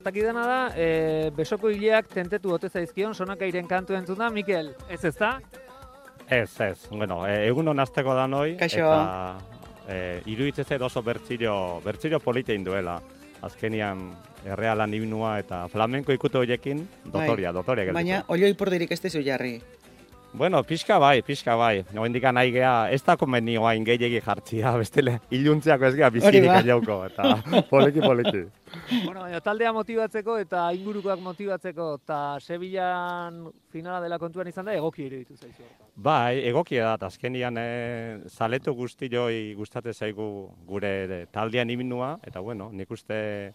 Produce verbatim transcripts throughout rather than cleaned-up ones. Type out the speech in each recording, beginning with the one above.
Takidana da, e, besoko hileak tentetu ote zaizkion Sonakairen kantu entzuna, Mikel, ez ez da? Ez, ez, bueno, e, egun hon azteko da noi, Kaixo. eta e, iruditzen zait oso bertziro, bertziro politein duela. Azkenian errealan himnua eta flamenko ikutu horiekin, dotoria, dotoria gelditu. Baina, olioi pordirik ez dezu jarri. Bueno, pixka bai, pixka bai. Oendik nahi geha, ez da komeni oain gehiagi jartzia, bestele, iluntziako ez geha bizirik aiauko, eta poliki, poliki. Bueno, baina taldea motibatzeko eta ingurukoak motibatzeko eta Sevillan finala dela kontuan izan da, egoki iruditu zaizu. Bai, egokia da, azkenian e, zaletu guztioi gustatzen zaigu gure taldean himnua, eta bueno, nik uste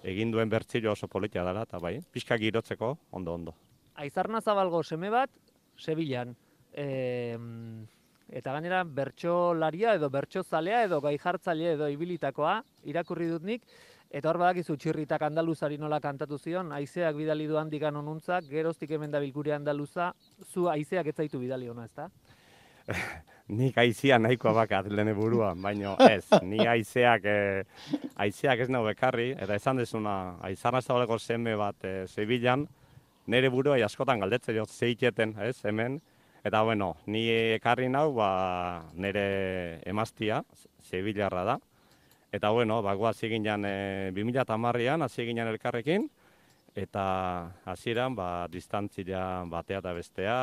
egin duen bertzilo oso politia dela, eta bai, pixka girotzeko, ondo, ondo. Aizarna Zabalgo seme bat, Sevillan, e, eta gainera bertsolaria edo bertsozalea edo gaijartzaile edo ibilitakoa irakurri dut nik, eta hor badakizu txirritak andaluzari nola kantatu zion, haizeak bidali du handikan onuntzak, geroztik hemen da bilgure andaluza, zu haizeak ez zaitu bidali ona, ezta? Nik haizea nahikoa bakat lehen buruan, baina ez, ni haizeak e, haizeak ez nau bekarri, eta esan dezuna, Aizarna Zabaleko seme bat e, Sevillan, nire burua askotan galdetzen jo zeiketen, ez, hemen. Eta bueno, ni ekarri nau, ba, nire emaztia, Sevillarra da. Eta bueno, ba, guaz eginan e, bi mila hamarrean hasi eginan elkarrekin, eta hasieran ba, distantzia batea eta bestea,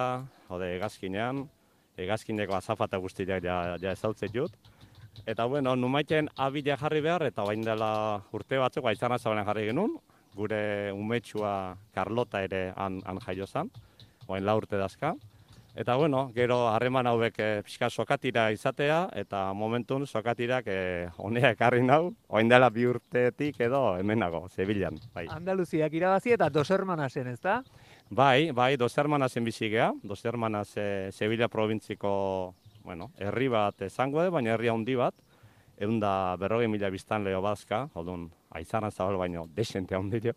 hode hegazkinean, hegazkineko azafata guztiak ja, ja ezautzen jut. Eta bueno, numaiten abila jarri behar, eta bain dela urte batzuk Aizarna Zabalen jarri genuen, gure umetsua Carlota ere han, han jaio zan, oain la urte dazka. Eta bueno, gero harreman hauek e, pixka sokatira izatea, eta momentun sokatirak e, honea ekarri nau, oain dela bi urtetik edo hemenago, Sevillan. Bai. Andaluziak irabazi eta Dos Hermanasen, ez da? Bai, bai, Dos Hermanasen bizi gea, Dos Hermanas e, Sevilla provintziko, bueno, herri bat izango da, baina herri handi bat, egun da berrogei mila biztan leho bazka, odun, Aizarna Zabal baino desente handi jo.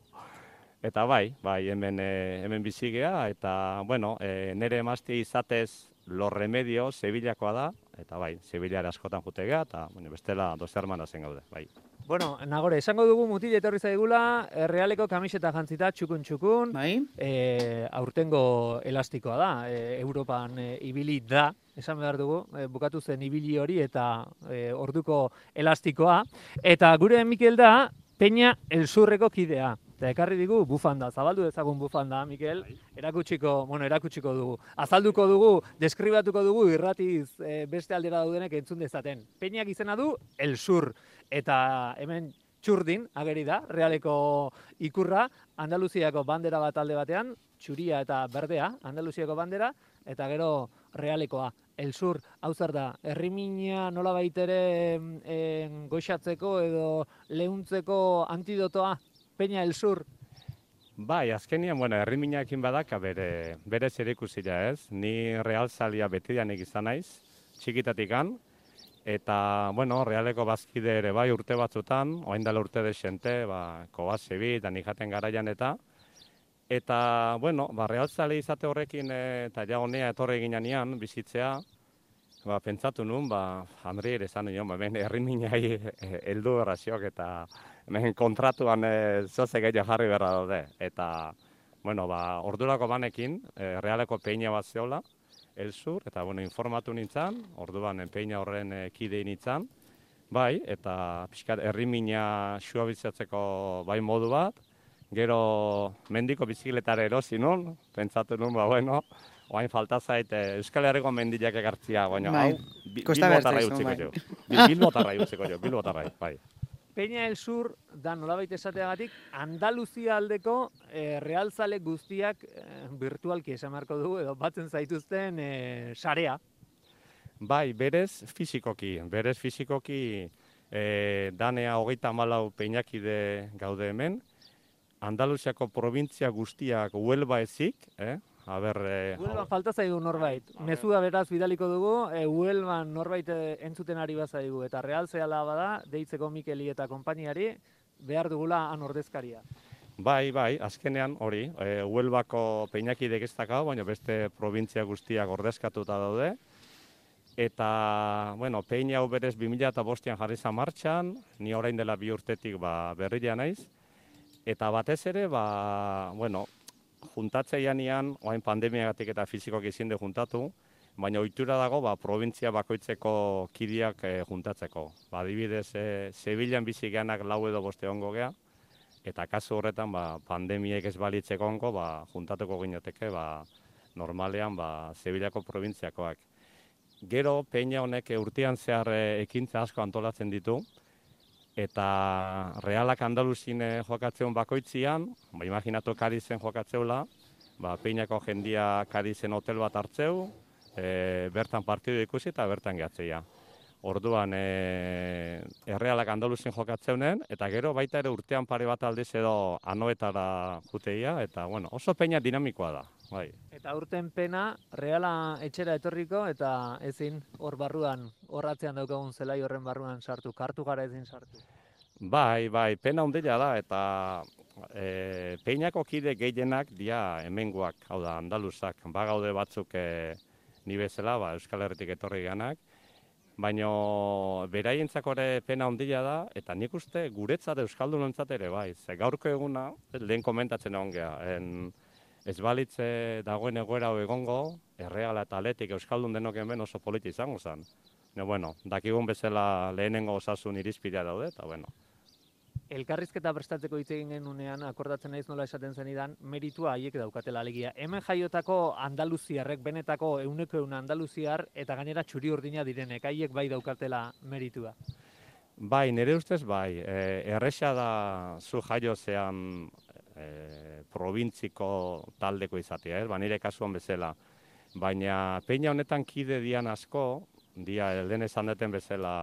Eta bai, bai, hemen, e, hemen bizi gea, eta, bueno, e, nire emazte izatez Los Remedios Sevillakoa da, eta bai, Sevillara askotan jute gea, eta bueno, bestela Dos Hermanasen gaude, bai. Bueno, Nagore, esango dugu mutil etorri zaigula, Realeko kamiseta jantzita txukun-txukun, Bai. e, aurtengo elastikoa da, e, Europan e, ibili da, esan behar dugu, e, bukatu zen ibili hori eta e, orduko elastikoa, eta gure Mikel da, Peña Elsurreko kidea. Eta ekarri digu bufanda, zabaldu dezagun bufanda, Mikel, erakutsiko, bueno, erakutsiko dugu. Azalduko dugu, deskribatuko dugu irratiz e, beste aldera daudenek entzun dezaten. Peñak izena du El Sur, eta hemen txurdin, ageri da, Realeko ikurra, Andaluziako bandera bat alde batean, txuria eta berdea, Andaluziako bandera, eta gero Realekoa. El Sur, hau zer da, herrimina nola baitere e, goixatzeko edo lehuntzeko antidotoa, Peña El Sur. Bai, azkenian, bueno, herriminaekin badaka bere, bere zer ikusila ez. Ni realzalia betidanik izan naiz, txikitatikan. Eta, bueno, Realeko bazkide ere bai urte batzutan, oain dela urte desente, ba, Kobasebi eta nijaten garaian eta. Eta, bueno, ba, realzale izate horrekin eta ja honea etorre ginean bizitzea, ba, pentsatu nun, ba, Andri ere esan nion, ba, hemen herriminai heldu erraziok eta hemen kontratuan e, zoze gehiago jarri berra daude. Eta, bueno, ba, ordurako banekin, e, Realeko peina bat zeola, El Sur, eta, bueno, informatu nintzen, orduan peina horren e, kidei nintzen, bai, eta pixkat herrimina suabitzatzeko bai modu bat, gero mendiko bizikletara erosi nun, pentsatu nun, ba, bueno, oain falta zait Euskal Herriko mendiak ekartzia, baina hau, bilbotarrai utziko jo. Bilbotarrai utziko jo, bilbotarrai, bai. Peña El Sur da nolabait esateagatik Andaluzia aldeko e, realzale guztiak e, virtualki esan beharko dugu edo batzen zaituzten e, sarea. Bai, berez fizikoki, berez fizikoki e, danea hogeita hamalau peinakide gaude hemen, Andaluziako provintzia guztiak Huelva ezik, eh? Aber, e, Huelvan falta zaigu norbait. Mezua beraz bidaliko dugu, e, Huelvan norbait entzuten ari bazaigu. Eta realzeala bada, deitzeko Mikeli eta konpainiari, behar dugula han ordezkaria. Bai, bai, azkenean hori, e, Huelvako peinakidek ez dakau, baina beste provintzia guztiak ordezkatuta daude. Eta, bueno, peina hau berez bi mila bostean jarri zan martxan, ni orain dela bi urtetik ba, berria naiz. Eta batez ere, ba, bueno, juntatzeianian, oain pandemiagatik eta fizikoak izin de juntatu, baina ohitura dago, ba, provintzia bakoitzeko kidiak e, juntatzeko. Ba, adibidez, e, Sevillan bizi geanak lau edo boste ongo gea, eta kasu horretan, ba, pandemiek ez balitzeko ongo, ba, juntatuko ginoteke, ba, normalean, ba, Sevillako provintziakoak. Gero, peina honek urtean zehar ekintza asko antolatzen ditu, eta Realak Andaluzin jokatzeun bakoitzian, ba, imaginatu Kadizen jokatzeula, ba, peinako jendia Kadizen hotel bat hartzeu, e, bertan partidu ikusi eta bertan gehatzeia. Orduan, e, Errealak Andaluzin jokatzeunen, eta gero baita ere urtean pare bat aldiz edo anoetara juteia, eta bueno, oso peina dinamikoa da. Bai. Eta urten pena, Reala etxera etorriko, eta ezin hor barruan, horratzean daukagun zelai horren barruan sartu, kartu gara ezin sartu. Bai, bai, pena handia da, eta e, peinako kide gehienak dia hemengoak, hau da, andaluzak, bagaude batzuk e, ni bezala, ba, Euskal Herritik etorri ganak, baina beraientzako ere pena handia da, eta nik uste guretzat euskaldunontzat ere bai, ze gaurko eguna, lehen komentatzen egon geha, en, ez balitze dagoen egoera egongo, Erreala eta Atletik euskaldun denok hemen oso politi izango zen. Ne, bueno, dakigun bezala lehenengo osasun irizpidea daude, eta bueno. Elkarrizketa prestatzeko hitz egin genunean, akordatzen naiz nola esaten zenidan, meritua haiek daukatela alegia. Hemen jaiotako andaluziarrek, benetako euneko eun andaluziar, eta gainera txuri urdina direnek, haiek bai daukatela meritua. Bai, nire ustez bai, e, erresa da zu jaiozean e, probintziko taldeko izatea, eh? Ba, nire kasuan bezala. Baina peina honetan kide dian asko, dia elden esan deten bezala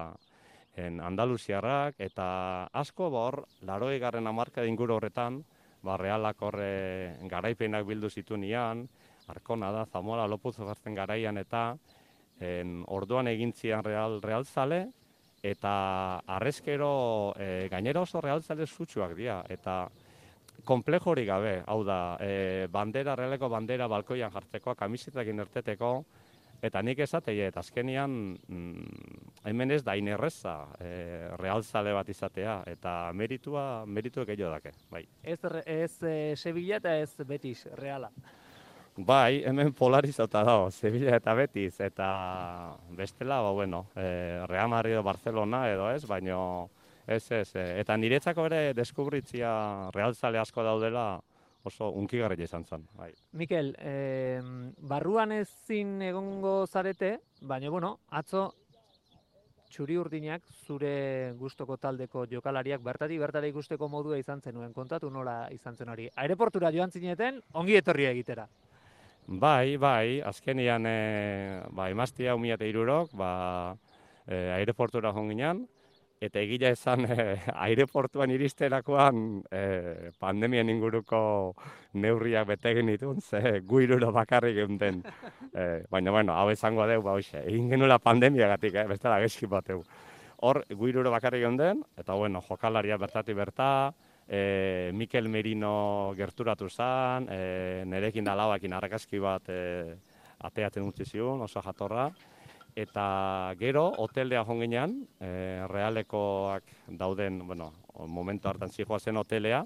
en andaluziarrak, eta asko bor, laroi garren amarka inguru horretan, ba, Realak horre garaipenak bildu zitunian, Arkona da, Zamora, Lopuz gartzen garaian, eta en, orduan egintzian real, realzale, eta arrezkero e, gainera oso realzale zutsuak dira, eta komplejo hori gabe, hau da, e, bandera, realeko bandera balkoian jartzeko, kamisetakin erteteko, eta nik esatei, eta azkenian mm, hemen ez da inerreza e, realzale bat izatea, eta meritua, meritu gehiago dake, bai. Ez, ez e, Sevilla eta ez Betis, Reala. Bai, hemen polarizauta dago, Sevilla eta Betis, eta bestela, ba, bueno, e, Real Madrid Barcelona edo ez, baino ez, ez, e, eta niretzako ere deskubritzia realzale asko daudela oso unkigarria izan zen. Bai. Mikel, eh, barruan ezin egongo zarete, baina, bueno, atzo txuri urdinak zure gustoko taldeko jokalariak bertatik bertara ikusteko modua izan zenuen, kontatu nola izan zen hori. Aireportura joan zineten, ongi etorria egitera. Bai, bai, azkenian e, ba, emaztia umiate irurok, ba, e, aireportura jonginan, eta egila esan e, aireportuan iristerakoan e, pandemien inguruko neurriak bete egin ditun, ze gu iruro bakarrik geunden. E, baina, bueno, hau esango deu, ba, hoxe, egin genuela pandemiagatik, eh, bestela gezki bateu. Hor, gu iruro bakarrik geunden, eta, bueno, jokalaria bertatik berta, E, Mikel Merino gerturatu zen, e, nerekin alabakin argazki bat e, ateatzen utzi zion, oso jatorra. Eta gero, hotelea jonginean, e, Realekoak dauden, bueno, momentu hartan zijoa zen hotelea,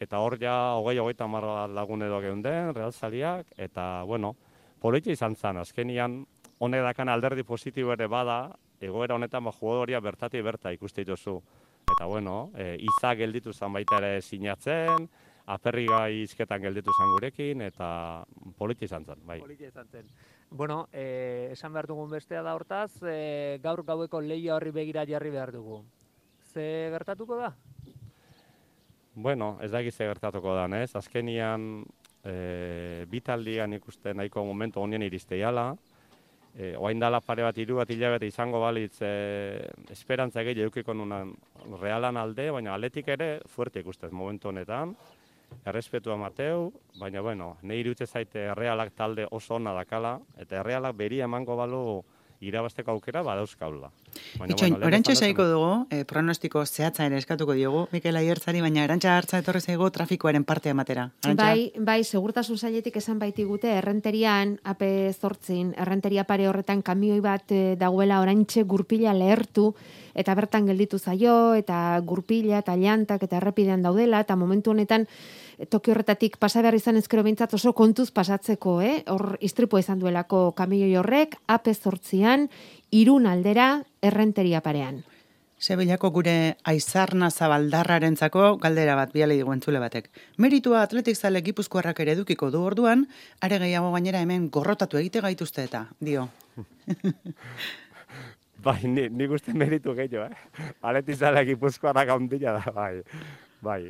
eta hor ja hogei hogeita hamar lagun edo geunden, realzaliak, eta, bueno, politi izan zen, azkenian, honek dakan alderdi positibo ere bada, egoera honetan ba, jugadoria bertatik berta ikuste dituzu. Eta, bueno, e, iza gelditu zen baita ere sinatzen, aperriga izketan gelditu zen gurekin, eta politi izan zen, bai. Politi izan zen. Bueno, e, esan behar dugun bestea da hortaz, e, gaur gaueko lehia horri begira jarri behar dugu. Ze gertatuko da? Bueno, ez da egize gertatuko da, ez? Azkenian, e, bitaldian ikusten nahiko momentu honien iristeiala, E, oain dala pare bat, hiru bat hilabete izango balitz e, esperantza gehi edukiko nunan Realan alde, baina Atletik ere fuerte ikustez momentu honetan, errespetua mateu, baina bueno, nahi irutze zaite Realak talde oso ona dakala, eta Realak beria emango balu irabazteko aukera badauzkaula. Itxoin, orantxe saiko dugu, eh, pronostiko zehatza ere eskatuko diogu, Mikel Aiertzari, baina Arantxa hartza etorri zaigu trafikoaren parte amatera. Arantxa? Bai, bai, segurtasun sailetik esan baitigute, errenterian, A P zortzin, errenteria pare horretan kamioi bat eh, dagoela orantxe gurpila lehertu, eta bertan gelditu zaio, eta gurpila, eta llantak, eta errepidean daudela, eta momentu honetan, toki horretatik pasa behar izan ezkero bintzat oso kontuz pasatzeko, eh? Hor istripo izan duelako kamioi horrek, A P zortzian, Irun aldera, errenteria parean. Sevillako gure Aizarna Zabaldarrarentzako galdera bat biale digu entzule batek. Meritua atletik zale gipuzkoarrak ere edukiko du orduan, are gehiago gainera hemen gorrotatu egite gaituzte eta, dio. Bai, ni, nik uste meritu gehiago, eh? Atletik zale gipuzkoarrak handia da, bai, bai.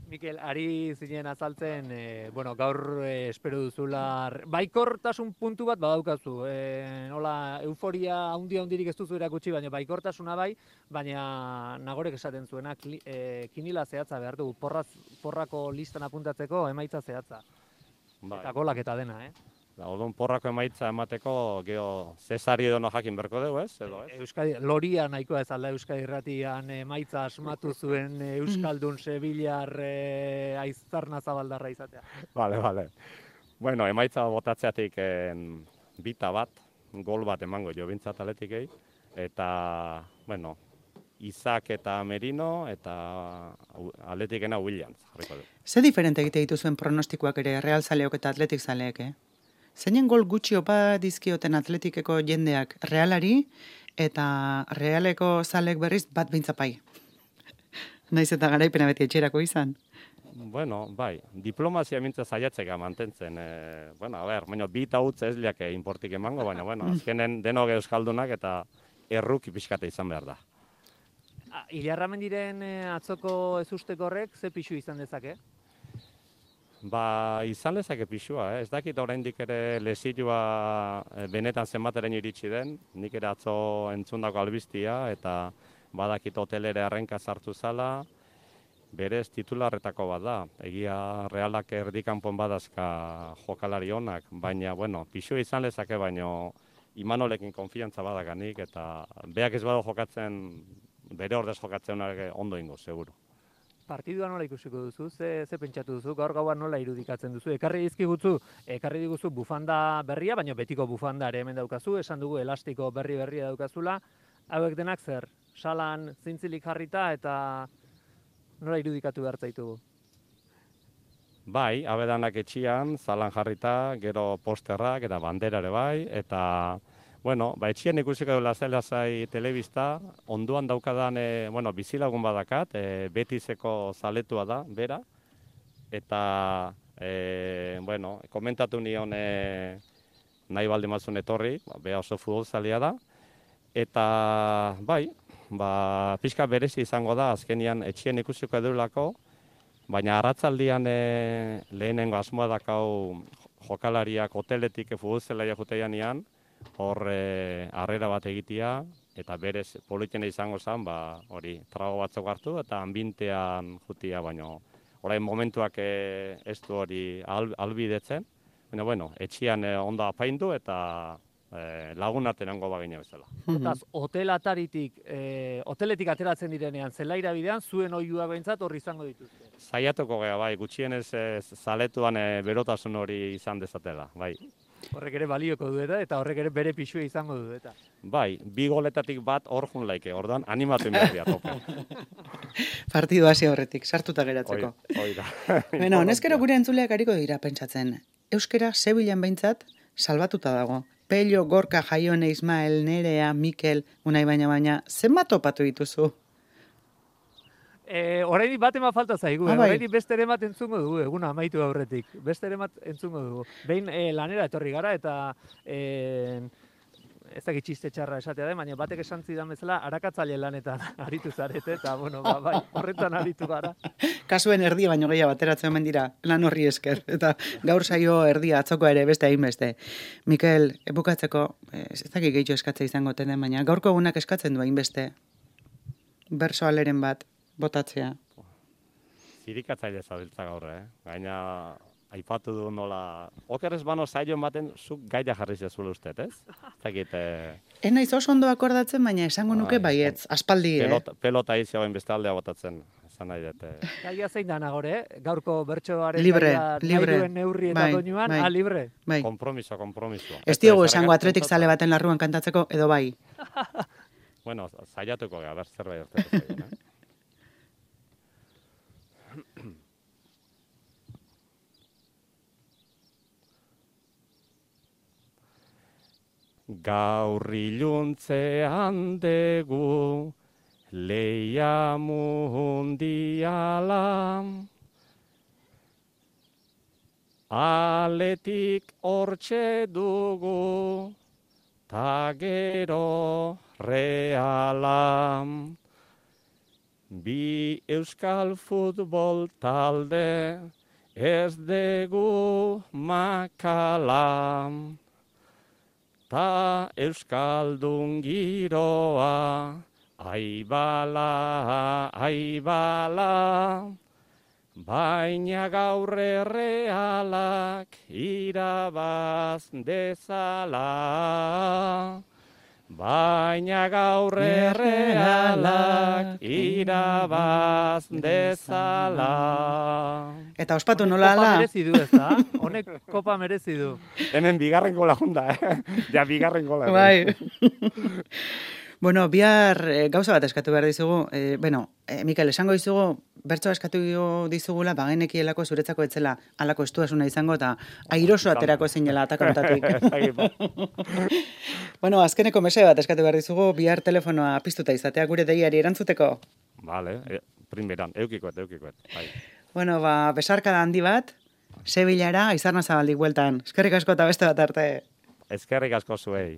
Mikel, ari zinen azaltzen, e, bueno, gaur e, espero duzula, baikortasun puntu bat badaukazu. E, nola, euforia handia handirik ez duzu erakutsi, baina baikortasuna bai, baina nagorek esaten zuena, kli, e, kinila zehatza behar dugu, porraz, porrako listan apuntatzeko emaitza zehatza. Bai. Eta golak eta dena, eh? Da, odun porrako emaitza emateko, geho, Cesari edo no jakin berko dugu, ez? Edo, ez? Euskadi, Loria nahikoa ez alda Euskadi Irratian emaitza asmatu zuen Euskaldun Sevillar e, Aizarna Zabaldarra izatea. Vale, vale. Bueno, emaitza botatzeatik en, bita bat, gol bat emango jo bintzat atletikei, eta, bueno, Izak eta Merino, eta atletikena Williams, jarriko du. Ze diferente egite dituzuen pronostikoak ere Real zaleok eta atletik zaleek, eh? Zeinen gol gutxi opa dizkioten atletikeko jendeak Realari, eta Realeko zalek berriz bat beintzapai. Naiz eta garaipena beti etxerako izan. Bueno, bai, diplomazia mintza saiatzeka mantentzen. E, bueno, a ber, baina bi eta utz ez liake inportik emango, baina, bueno, azkenen denok euskaldunak eta erruki pixkate izan behar da. Ilarramendiren atzoko ezusteko horrek ze pixu izan dezake? Ba, izan lezake pixua, eh? Ez dakit oraindik ere lesioa benetan zenbateren iritsi den, nik ere atzo entzundako albistia, eta badakit hotelere arrenka sartu zala, berez titularretako bat da. Egia Realak erdikanpon badazka jokalari onak, baina, bueno, pixua izan lezake, baino Imanolekin konfiantza badakanik, eta beak ez badu jokatzen, bere ordez jokatzen ondo ingo, seguru. Partidua nola ikusiko duzu, ze, ze pentsatu duzu, gaur gauan nola irudikatzen duzu. Ekarri dizkiguzu, ekarri diguzu bufanda berria, baina betiko bufanda ere hemen daukazu, esan dugu elastiko berri berria daukazula. Hauek denak zer, salan zintzilik jarrita eta nola irudikatu behar zaitugu? Bai, abedanak etxian, zalan jarrita, gero posterrak eta banderare bai, eta bueno, ba, etxian ikusiko du lasai-lasai telebista, onduan daukadan, e, bueno, bizilagun badakat, e, Betiseko zaletua da, bera, eta, e, bueno, komentatu nion e, nahi balde mazun etorri, ba, beha oso futbolzalia da, eta, bai, ba, pixka berezi izango da, azkenian etxian ikusiko edulako, baina arratzaldian e, lehenengo asmoa dakau jokalariak hoteletik futbolzelaia juteianean, hor harrera bat egitea, eta berez politena izango zen, ba, hori, trago batzuk hartu, eta anbintean jutia, baino, orain momentuak e, ez du hori al, albidetzen, baina, bueno, etxian e, ondo apaindu, eta e, lagun artean goba gine bezala. Hortaz, hotel ataritik, e, hoteletik ateratzen direnean, zelaira bidean, zuen oiua behintzat horri izango dituzte. Zaiatuko gea, bai, gutxienez e, zaletuan e, berotasun hori izan dezatela, bai. Horrek ere balioko du eta, eta horrek ere bere pixua izango du eta. Bai, bi goletatik bat hor jun laike, orduan animatu inberdia tope. Partidu hasi horretik, sartuta geratzeko. Hoi da. Bueno, honezkero gure entzuleak hariko dira pentsatzen. Euskara Sevillan behintzat salbatuta dago. Pello, Gorka, Jaione, Ismael, Nerea, Mikel, unai baina baina, zenbat topatu dituzu? E, Horrein bat ema falta zaigu, ah, eh? bai. Horrein beste ere bat entzungo dugu, eguna amaitu aurretik. Beste ere bat entzungo dugu. Behin e, lanera etorri gara eta e, ez dakit txiste txarra esatea den, baina batek esan zidan bezala arakatzaile lanetan aritu zarete, eta bueno, ba, bai, horretan aritu gara. Kasuen erdia baino gehiago bateratzen omen dira lan horri esker, eta gaur saio erdia atzoko ere beste hainbeste. Mikel, bukatzeko, ez dakit gehiago eskatzea izango den, baina gaurko egunak eskatzen du hainbeste bersoaleren bat botatzea. Zirikatzaile zabiltza gaur, eh? Gaina aipatu du nola, okerrez bano zailo ematen, zuk gaia jarri zezula uste, ez? Zakit, eh, Ez naiz oso ondo akordatzen, baina esango nuke Bai, baietz, aspaldi, eh? pelota, pelota iziagoen beste aldea botatzen, esan nahi dut. eh. Gaia zein da nagore, eh? Gaurko bertsoaren Libre, gaia libre. nahi duen neurri eta Bai, doinuan, bai. ah, libre. Bai. Kompromiso, kompromiso. Ez diogu esango atletik zale baten larruan kantatzeko, edo bai. Bueno, saiatuko gara, ber zerbait urtetu zaigun, eh? Gaur iluntzean degu leia mundiala, aletik hortxe dugu, ta gero reala. Bi euskal futbol talde ez dugu makala, ta euskaldun giroa, aibala, aibala, baina gaur errealak irabaz dezala. Baina gaur errealak irabaz dezala. Eta ospatu nola Kopa ala? merezi du, ez da? Honek kopa merezi du. Hemen bigarren gola junda, eh? Ja, bigarren gola. Bai. Bueno, bihar eh, gauza bat eskatu behar dizugu. Eh, bueno, eh, Mikel, esango dizugu, bertsoa eskatu dizugula, bagenekielako zuretzako etzela alako estuasuna izango, eta airoso aterako zinela atakontatik. Bueno, azkeneko mese bat eskatu behar dizugu, bihar telefonoa piztuta izatea gure deiari erantzuteko. Vale, eh, primeran, eukikoet, eukikoet. Bai. Bueno, ba, besarkada handi bat, Sevillara, Aizarna Zabaldik bueltan. Eskerrik asko eta beste bat arte. Ezkerrik asko zuei.